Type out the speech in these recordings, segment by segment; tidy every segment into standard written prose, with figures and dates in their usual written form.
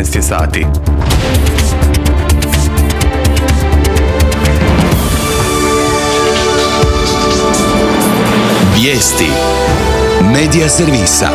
19 je sati. Vijesti Medija servisa.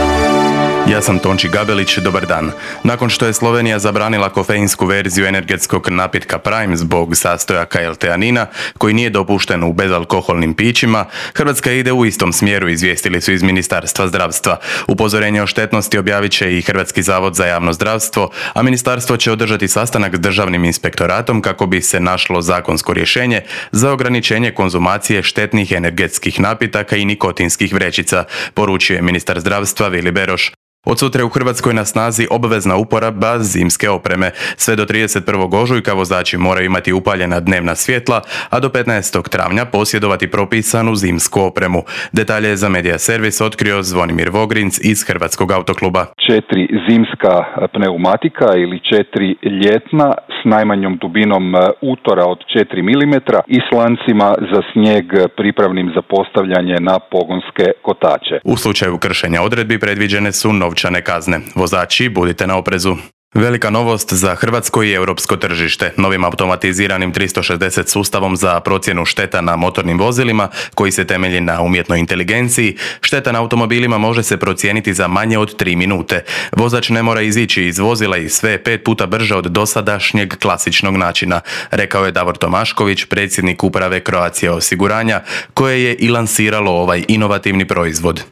Ja sam Tonči Gabelić, dobar dan. Nakon što je Slovenija zabranila kofeinsku verziju energetskog napitka Prime zbog sastojaka L-teanina, koji nije dopušten u bezalkoholnim pićima, Hrvatska ide u istom smjeru, izvijestili su iz Ministarstva zdravstva. Upozorenje o štetnosti objavit će i Hrvatski zavod za javno zdravstvo, a ministarstvo će održati sastanak s državnim inspektoratom kako bi se našlo zakonsko rješenje za ograničenje konzumacije štetnih energetskih napitaka i nikotinskih vrećica, poručuje ministar zdravstva Vili Beroš. Od sutra je u Hrvatskoj na snazi obvezna uporaba zimske opreme. Sve do 31. ožujka vozači moraju imati upaljena dnevna svjetla, a do 15. travnja posjedovati propisanu zimsku opremu. Detalje je za Medija servis otkrio Zvonimir Vogrinc iz Hrvatskog autokluba. 4 zimska pneumatika ili 4 ljetna s najmanjom dubinom utora od 4 mm i s lancima za snijeg pripravnim za postavljanje na pogonske kotače. U slučaju kršenja odredbi predviđene su novčane kazne. Vozači, budite na oprezu. Velika novost za hrvatsko i europsko tržište. Novim automatiziranim 360 sustavom za procjenu šteta na motornim vozilima, koji se temelji na umjetnoj inteligenciji, šteta na automobilima može se procijeniti za manje od 3 minute. Vozač ne mora izići iz vozila i sve 5 puta brže od dosadašnjeg klasičnog načina, rekao je Davor Tomašković, predsjednik uprave Croatia osiguranja, koje je i lansiralo ovaj inovativni proizvod.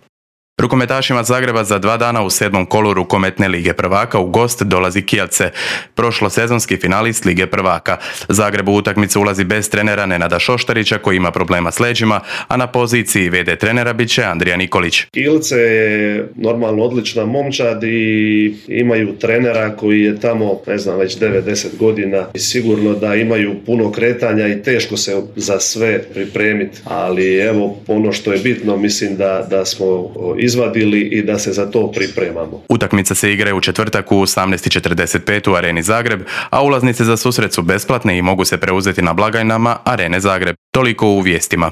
Rukometašima Zagreba za 2 dana u 7. kolu rukometne Lige prvaka u gost dolazi Kielce, prošlosezonski finalist Lige prvaka. Zagreb u utakmicu ulazi bez trenera Nenada Šoštarića koji ima problema s leđima, a na poziciji VD trenera bit će Andrija Nikolić. Kielce je normalno odlična momčad i imaju trenera koji je tamo, već 9-10 godina i sigurno da imaju puno kretanja i teško se za sve pripremiti, ali evo ono što je bitno, mislim da smo izvadili i da se za to pripremamo. Utakmica se igra u četvrtak u 18:45 u Areni Zagreb, a ulaznice za susret su besplatne i mogu se preuzeti na blagajnama Arene Zagreb. Toliko u vijestima.